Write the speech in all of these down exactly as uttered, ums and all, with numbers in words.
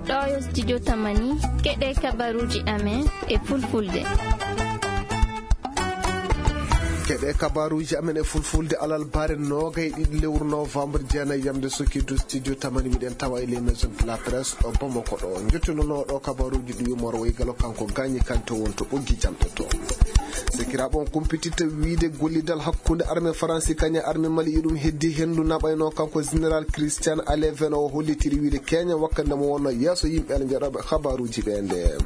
Ɗo yo studio Tamani, keɗe kabaruuji amen e fulfulde. Keɗe kabaruuji amen e fulfulde alarba noogay e ɗiɗi lewru novembre, jeenay yamde sokki du studio Tamani, miɗen tawa e les maisons de la presse ɗo Bamako ɗo. Njettunooɗo kabaruuji ɗi yumor woy galo kanko gaañi kanto won to ɓoggi jamɗe to. Sekiraaɓe on kumpititta wiide gollidal hakkunde armée Faransi kañe armée Mali iɗum heddi hendu naɓayno kanko général Christian Aleven o hollitiri wiide keña wakkande mo wonno yeeso yimɓe ala njaɗoɓe kabaruuji ɓe nde.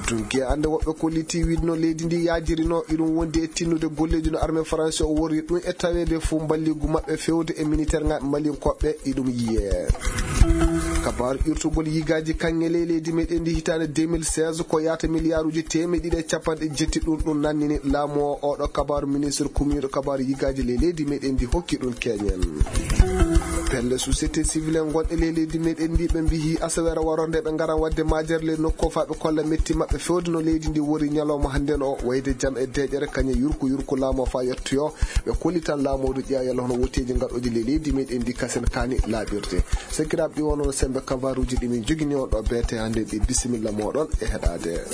Dunki ande woɓɓe kolliti wiide no leydi ndi yaajirino iɗum wondi e tinnude golleji no armée Faransi o worri ɗum e taweede fo mballigu maɓɓe fewde e militaire ngaɓe malinkoɓe iɗum yiye. Kabaru irtugol yigaaji kaŋŋe ley leydi meɗen ndi hitaande deux mille seize ko yaata miliyaaruuji teemeɗe ɗiɗi e capanɗe jetti ɗum ɗum nannini laamu o. Oɗo kabaru ministre kumiiɗo kabaru yigaaji ley leydi meɗen ndi hokki ɗum keñen. Pelle société civile en gonɗe ley leydi meɗen ndi ɓe mbiyi asaweere waroo nde ɓe ngara waɗde majere ley nokku o faa ɓe kolla metti maɓɓe fewde no leydi ndi wori ñalawma hannden o wayde jam e deeƴere kañe yurku yurku laamu o faa yettoyo. Ɓe kollitan laamu o ɗo ƴeewa yalla hono wotteeji ngaɗooji ley leydi meɗen ndi kasen kaani laaɓirde. Sakiraaɓe ɗi wonno sembe kabaruuji ɗi min jogini on ɗo beete hannde ɗi bisimilla mooɗon e heɗaade.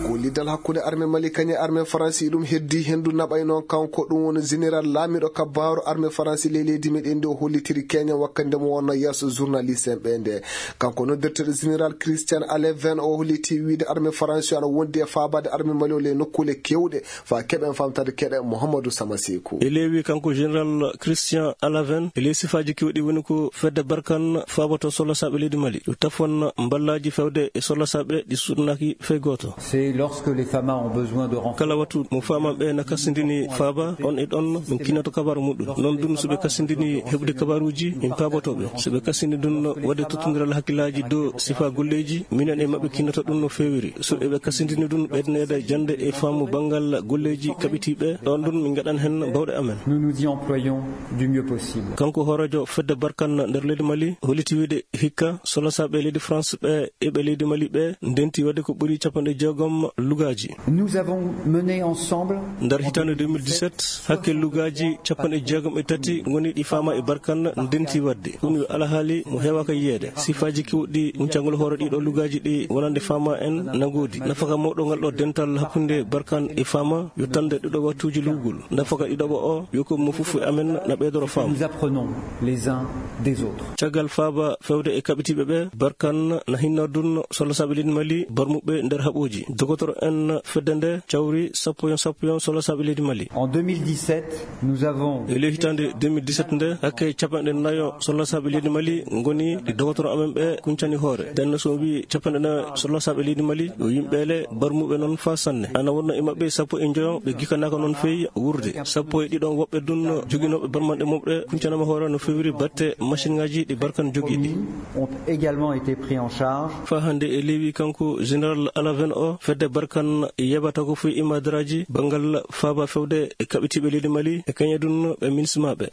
Gollidal hakkunde armée Mali kañe armée Faransi ɗum heddi hendu naɓay noon kanko ɗum woni général laamiɗo kabaru armée Faransi ley leydi meɗen ndi o hollitiri keña wakkande mo wonno yeeso journaliste en ɓe nde. Kanko noddirteɗo général Christian Aleven o holliti wiide armée Faransi ana wondi e faabade armée Mali o ley nokkule kewɗe. Fa keɓen famtade keɗe Mouhamadou Sama Sekou. E leewi kanko général Christian Alaven, e ley sifaaji kewɗi woni ko fedde Barkan faaboto solosaaɓe leydi Mali. Yo tafon mballaaji fewde e solosaaɓe ɗi suɗnaaki fey gooto. C'est lorsque les Fama ont besoin de renforts. Kala wattu mo faamaɓe na kasindini faaba, on e ɗon min kinnato kabaru muɗum. Noon dun so ɓe kasindini heɓude kabaruuji, min paaboto ɓe. So ɓe kasindi dun waɗde tottondiral hakkillaaji dow sifa golleeji, minen e maɓɓe kinnato ɗum no feewiri. So eɓe kasindini ɗum ɓeydaneede jannde e faamu banngal golleeji kaɓitiiɓe, ɗoon ɗum min ngaɗan heen baawɗe amen. Nous nous y employons du mieux possible. Kanko hooreejo fedde Barkan nder leydi Mali holliti wiide hikka solosaaɓe leydi France ɓe eɓe leydi Mali ɓe ndenti waɗde ko ɓuri capanɗe jeegom lugaaji. Nous avons mené ensemble. Nder hitaande deux mille dix-sept, hakke lugaaji capanɗe jeegom e tati ngoni ɗi faama e Barkan ndenti waɗde. Ɗum yo alhaali mo heewaaka yiyeede. Sifaaji kewɗi muncangol hoore ɗiɗo lugaaji ɗi wonande faama en na ngoodi. Nafaka mawɗo ngal ɗo dental hakkunde Barkan e faama yo tande ɗiɗo wattuuji lugol. Nafaka ɗiɗo o yo ko mo fof e amen na ɓeydoro faam. Nous apprenons les uns des autres. Caggal faaba fewde e kaɓitiiɓe ɓe, Barkan na hinna dun solosaaɓe leydi Mali barmuɓe nder haɓooji. Dogotoro en fedde nde cawri sappo yon sappo yon solosaaɓe leydi Mali. En deux mille dix-sept, nous avons. E ley hitaande deux mille dix-sept nde, hakke capanɗe nayo solosaaɓe leydi Mali ngoni ɗi dogotoro amen ɓe kuncani hoore. Denno so wii capanɗe nayo solosaaɓe leydi Mali, yo yimɓe le barmuɓe noon faa sanne. Ana wonno e maɓɓe sappo e njoyo ɓe gikanaaka noon feewi wuurde. Sappo e ɗiɗon woɓɓe dun joginooɓe barmanɗe mumɓe kuncanama hoore no feewiri batte machine ngaji ɗi Barkan jogii ɗi. Ont également été pris en charge. Faa hannde e leewi kanko général Alaven o, fedde Barkan yeɓata ko foy imadaraaji banngal faaba fewde e kaɓitiiɓe leydi Mali e kañe dun ɓe minismaaɓe.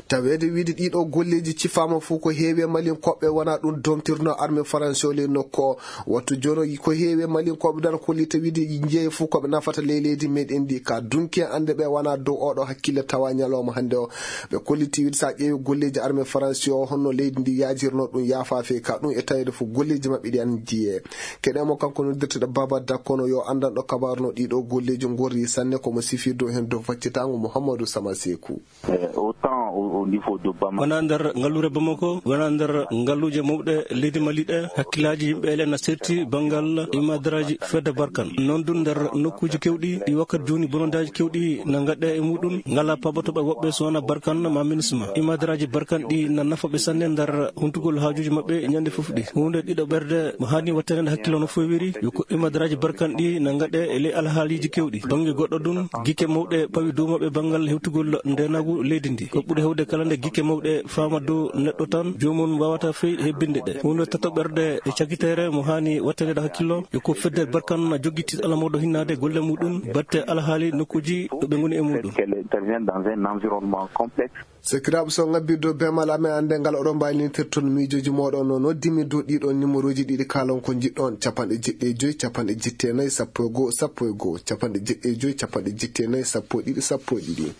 Taweede wiide ɗiɗo golleeji cifaama fof ko heewi e Malinkoɓe wona ɗum domtirno armée Faransi o ley nokku o. Wattu jono ko heewi e Malinkoɓe dan kollita wiide jeeye fof koɓe nafata ley leydi meɗen ndi ka dunki en annde ɓe wona dow oɗo hakkille tawa ñalawma hannde o. Ɓe kolliti wiide sa ƴeewi golleeji armée Faransi o honno leydi ndi yaajirno ɗum yaafa fey ka ɗum e taweede fof golleeji maɓɓe ɗi an jiye. Keɗemo kanko noddirteɗo Baba Dakkono yo anndanɗo kabaru no ɗiɗo golleeji ngorri sanne komo sifir dow hen dow faccitango Mouhamadou Sama Sekou. Eh, autant au, au niveau de Bamako. Wona nder ngallure Bamako, wona nder ngalluuje mawɗe leydi Mali ɗe, hakkillaaji yimɓe ele na serti banngal imadaraaji fedde Barkan. Noon dun nder nokkuuji kewɗi ɗi wakkati jooni bonondaaji kewɗi na ngaɗe e muɗum, ngala pabotoɓe woɓɓe so wona Barkan ma minisma. Imadaraaji Barkan ɗi na nafa ɓe sanne nder huntugol haajuuji maɓɓe ñande fof ɗi. Huunde ɗiɗo ɓerde mo haani wattande hakkilo no fewiri, yo ko imadaraaji Barkan ɗi na ngaɗe e ley alhaaliiji kewɗi. Bannge goɗɗo dun, gikke mawɗe pawi dow maɓɓe banngal hewtugol ndeenaagu leydi ndi. Ko ɓuri hewde kala nde gikke mawɗe faama dow neɗɗo tan, joomum waawata fey hebbinde ɗe. Huunde tato ɓerde e cakiteere mo haani wattanede hakkillo, yo ko fedde Barkan na jogiti ala mawɗo hinnaade golle muɗum, batte alhaali nokkuuji ɗo ɓe ngoni e muɗum. Qu'elle intervient dans un environnement complexe. Sakiraaɓe, so ngabbirde dow bemal amen, annde ngal oɗon mbaawi lintirde toon miijooji mooɗon no noddimi dow ɗiɗo numéroji ɗiɗi kaalon ko njiɗɗon, capanɗe jeɗɗi e joy, capanɗe jetti e nayi, sappo e goo, sappo e goo, capanɗe jeɗɗi e joy, capanɗe jetti e nayi, sappo e ɗiɗi, sappo e ɗiɗi.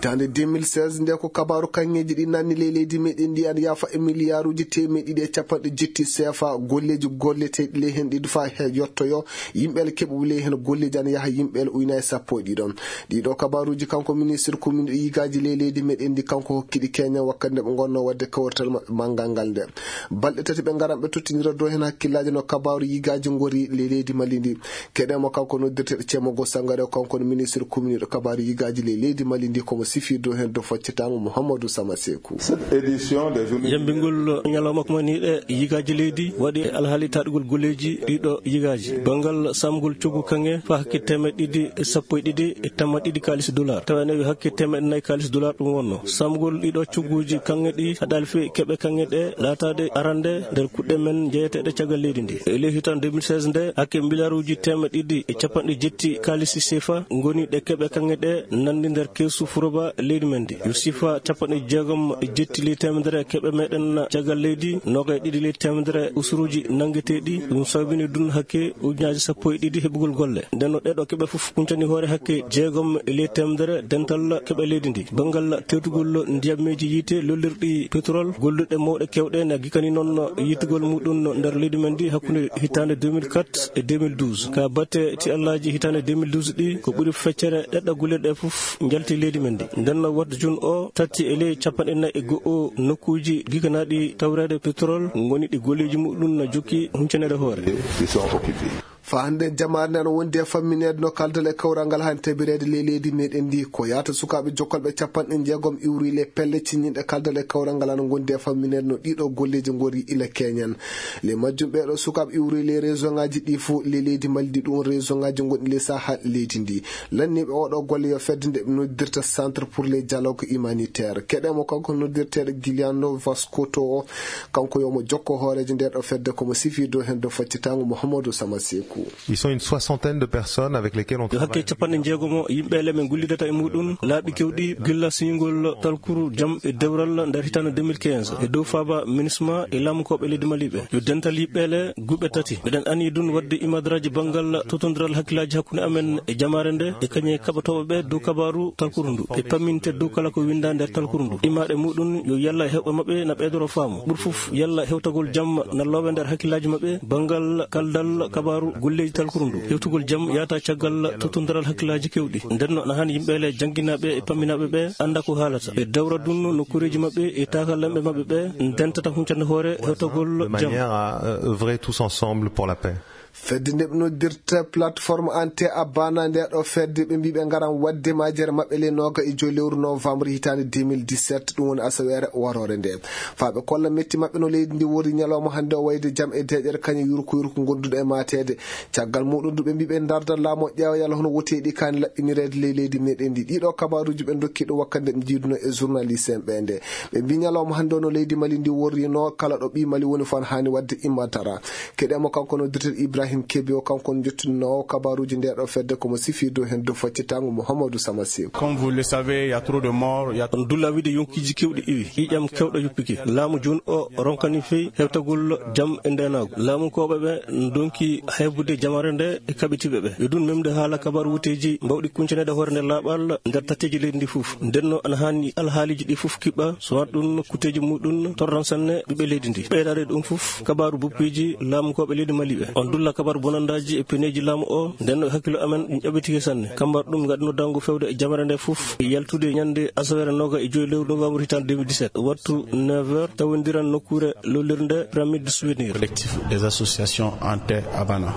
Hitaande deux mille seize nde, ko kabaaru kaŋŋeeji ɗi nanni ley leydi meɗen ndi, ana yaafa e miliyaaruuji teemeɗe ɗiɗi e capanɗe jetti seefa. Golleeji golleteeɗi ley heen ɗi faa he yottoyo yimɓe ele keɓuɓe ley heen golleeji, ana yaha yimɓe ele ujunaaji sappo e ɗiɗo. Ɗiɗo kabaaruuji, kanko ministre commune e yigaaji ley leydi meɗen ndi, kanko hokkiɗi keñan wakkati nde ɓe ngonnoo waɗde kawrital maɓɓe manngal ngal nde. Balɗe tati ɓe ngaran ɓe tottinira dow heen hakkillaaji no kabaaru yigaaji ngori ley leydi Mali ndi. Keɗen mo, kanko noddirteeɗo Ceemo Go Sangare, kanko no ministre commune ɗo kabaaru yigaaji ley leydi Mali ndi, komo sifi dow heen dow faccitaango Mouhamadou Sama Sekou. Cette édition des journées Yambingol ñalawma ko mani ɗe yigaaji leydi waɗi e alhaali taɗugol golleeji ɗiɗo yigaaji. Banngal samgol coggu kaŋŋe faa hakke teemeɗe ɗiɗi e sappo e ɗiɗi e tamma ɗiɗi kaalis dollar. Tawa ene wi hakke teemeɗe nayi kaalis dollar ɗum wonno. Samgol ɗiɗo cogguuji kaŋŋe ɗi haɗaali fii keɓe kaŋŋe ɗe laataade arande nder kuɗɗe men jeyeteeɗe caggal leydi ndi. E ley hitaande deux mille seize nde, hakke miliyaaruuji teemeɗe ɗiɗi e capanɗe jetti kaalisi sefa ngoni ɗe keɓe kaŋŋe ɗe nanndi nder keesu furoba leydi men ndi. Yo sifa capanɗe jeegom e jetti ley teemedere keɓe meɗen caggal leydi, noogay ɗiɗi ley teemedere usuruuji nanngeteeɗi. Ɗum sababini ɗum hakke ujunaaji sappo e ɗiɗi heɓugol golle. Nden no ɗeɗo keɓe fof huncani hoore hakke jeegom e ley teemedere dental keɓe leydi ndi. Banngal tewtugol ndiyammeeji yiite lollirɗi pétrole, golluɗe mawɗe keewɗe na gikani noon yiitugol muɗum nder leydi men ndi hakkunde hitaande deux mille quatre e deux mille douze. Ka batte ti Allaaji hitaande deux mille douze ɗi, ko ɓuri feccere ɗeɗɗo guleɗe fof njalti leydi men ndi. Nden no wattu jun o tatti e ley capanɗe nayi e go'o nokkuuji giganaaɗi tawreede pétrole ngoni ɗi golleeji muɗum na jokki huncanere hoore. Ils sont occupés. Faa hannde jamaare nde ana wondi e fammineede no kaldal e kawral ngal hani tabireede ley leydi meɗen ndi. Ko yaata sukaaɓe jokkolɓe capanɗe jeegom iwri le pelle cinñinɗe kaldal e kawral ngal ana ngondi e fammineede no ɗiɗo golleeji ngori ila keñen. Le majjum ɓeeɗo sukaaɓe iwri le région ŋaaji ɗi fof le leydi Mali ndi, ɗum région ŋaaji ngonɗi le saha leydi ndi. Lanniiɓe oɗo golle yo fedde nde ɓe noddirta Centre pour les dialogues humanitaires. Keɗen mo kanko noddirteeɗo Giuliano Vascoto o, kanko yo mo jokko hooreejo nde ɗo fedde, komo sifi dow heen dow faccitaango Mouhamadou Sama Sekou. Ils sont une soixantaine de personnes avec lesquelles on Yo hakke travaille. Capanɗe jeegomo yimɓe ele men gullidata e muɗum laaɓi kewɗi gilla siñugol talkuru jam e dewral nder hitaande deux mille quinze. E dow faaba minisma e laamukooɓe leydi Mali ɓe. Yo dental yimɓe ele guɓe tati. Meɗen ani ɗum waɗde imadraji banngal totondiral hakkillaaji hakkunde amen e jamaare nde e kañe kaɓatooɓe ɓe dow kabaaru talkuru ndu. E pamminte dow kala ko winnda nder talkuru ndu. Imaaɗe muɗum yo yalla e heewɓe maɓɓe na ɓeydoro faamu. Ɓur fof yalla hewtagol jam na loowe nder hakkillaaji maɓɓe banngal kaldal kabaaru golleeji talkuru ndu. Hewtugol jam yaata caggal tottondiral hakkillaaji kewɗi. Nden no ana hani yimɓe ele jannginaaɓe e pamminaaɓe ɓe annda ko haalata. Ɓe dawra ɗum nokkuureeji maɓɓe e taakalamɓe maɓɓe ɓe ndentata huncande hoore hewtagol De jam. Manière à, euh, œuvrer tous ensemble pour la paix. Fedde nde ɓe noddirta plateforme Ante Abana nde ɗo fedde ɓe mbii ɓe ngaran waɗde majere maɓɓe le nooga e joyi lewru novembre hitaande deux mille dix-sept, ɗum woni asaweere waroore nde. Faa ɓe kolla metti maɓɓe no leydi ndi wori ñalawma hannde o wayde jam e deeƴere kañum yurko yurko gonduɗo e maateede. Caggal muɗum du ɓe mbii ɓe ndarda laamu o ƴeewa yalla hono woteeɗi kaani laɓɓinireede ley leydi meɗen ndi. Ɗiɗo kabaaruuji ɓe ndokki ɗo wakkati nde ɓe njiiduno e journaliste en ɓe nde. Ɓe mbii ñalawma hannde o no leydi Mali ndi worrino kala ɗo ɓii Mali woni fof haani waɗde immatara. Keɗen mo kanko no directeur Ibrahim Kebe o, kanko on jottinoowo kabaaruuji nde ɗo fedde, komo sifi dow heen dow faccitaango Mouhamadou Sama Sekou. Comme vous le savez, il y a trop de morts, il y a On dulla wiide yonkiiji kewɗi iwi, ƴiiƴam kewɗo yuppike. Laamu jooni o ronkani fey hewtagol jam e ndeenaagu. Laamunkooɓe ɓe ndonki hebude jamaare nde e kaɓitiiɓe ɓe. Yo ɗum memde haala kabaaru wuteeji mbawɗi kuncaneede hoore nder laaɓal nder tatteeji leydi ndi fof. Nden no ana haani alhaaliiji ɗi fof kiɓɓa, so wonaa ɗum kuteeji muɗum torran sanne ɓiɓɓe leydi ndi. Ɓeydaade ɗum fof, kabaaru boppeeji laamunkooɓe leydi Mali ɓe. On dulla kabaaru bonandaaji e peneeji laamu o, nden no hakkilo amen ɗum ƴaɓɓitike sanne. Kambar ɗum ngaɗi noddaango fewde e jamaare nde fof, e yaltude ñande asaweere nooga e joyi lewru novembre hitaande deux mille dix-sept. Wattu neuf heures, tawondiran nokkuure lollirnde Pyramide du Souvenir. Collectif des associations Ante Abana.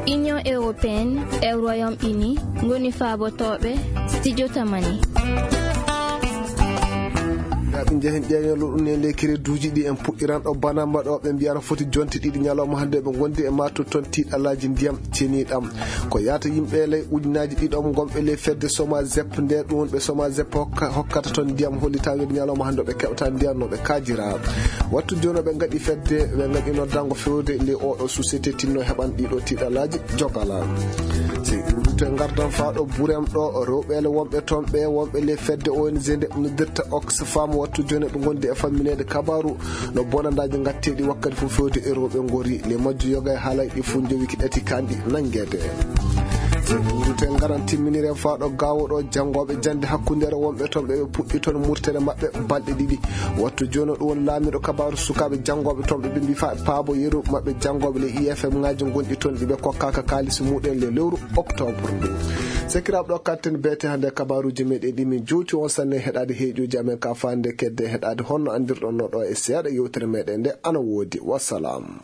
Union européenne e Royaume-Uni ngoni faabotooɓe studio Tamani. Ndaa, ɓe njehen ƴeeñol ɗum e ley kereduuji ɗi en puɗɗiran ɗo banamba ɗo ɓe mbiyata foti jonte ɗiɗi ñalawma hannde ɓe ngondi e mato toon tiiɗalaaji ndiyam ceniiɗam. Ko yaata yimɓe ley ujunaaji ɗiɗo ngonɓe ley fedde Somazep nde ɗum woni ɓe Somazep hokka-, hokkata toon ndiyam holli taweede ñalawma hannde ɓe keɓata ndiyam no ɓe kaajira. Wattu jooni ɓe ngaɗi fedde, ɓe ngaɗi noddango fewde ley oɗo société tinno heɓan ɗiɗo tiiɗalaaji jogala. Si ɗum rute ngardan faa ɗo Burem ɗo rewɓe le wonɓe toon ɓe wonɓe ley fedde O N G nde noddirta Oxfam wattu jooni ɓe ngondi e fammineede kabaaru no bonandaaji ngatteeɗi wakkati fof fewde e rewɓe ngori. Le majju yoga e haalay ɗi fof njowi ki ɗati kanɗi nanngeede. Wurten ngaran timminire faaɗo gawo ɗo janngooɓe jannde hakkundeere wonɓe toon ɓe ɓe puɗɗi toon murtere maɓɓe balɗe ɗiɗi. Wattu jooni ɗum woni laamiiɗo kabaaru sukaaɓe janngooɓe toon ɓe ɓe mbi faa paabo yeru maɓɓe janngooɓe le I F M ngaaji gonɗi toon ɗi ɓe kokkaaka kaalisi muɗen le lewru octobre ndu. Sekiraaɓe ɗo katten beete hannde kabaaruuji meɗen ɗi min jowti on sanne heɗaade heeƴuuji amen ka faande kedde heɗaade honno anndirɗon no ɗo e seeɗa yewtere meɗen nde ana woodi. Wassalam.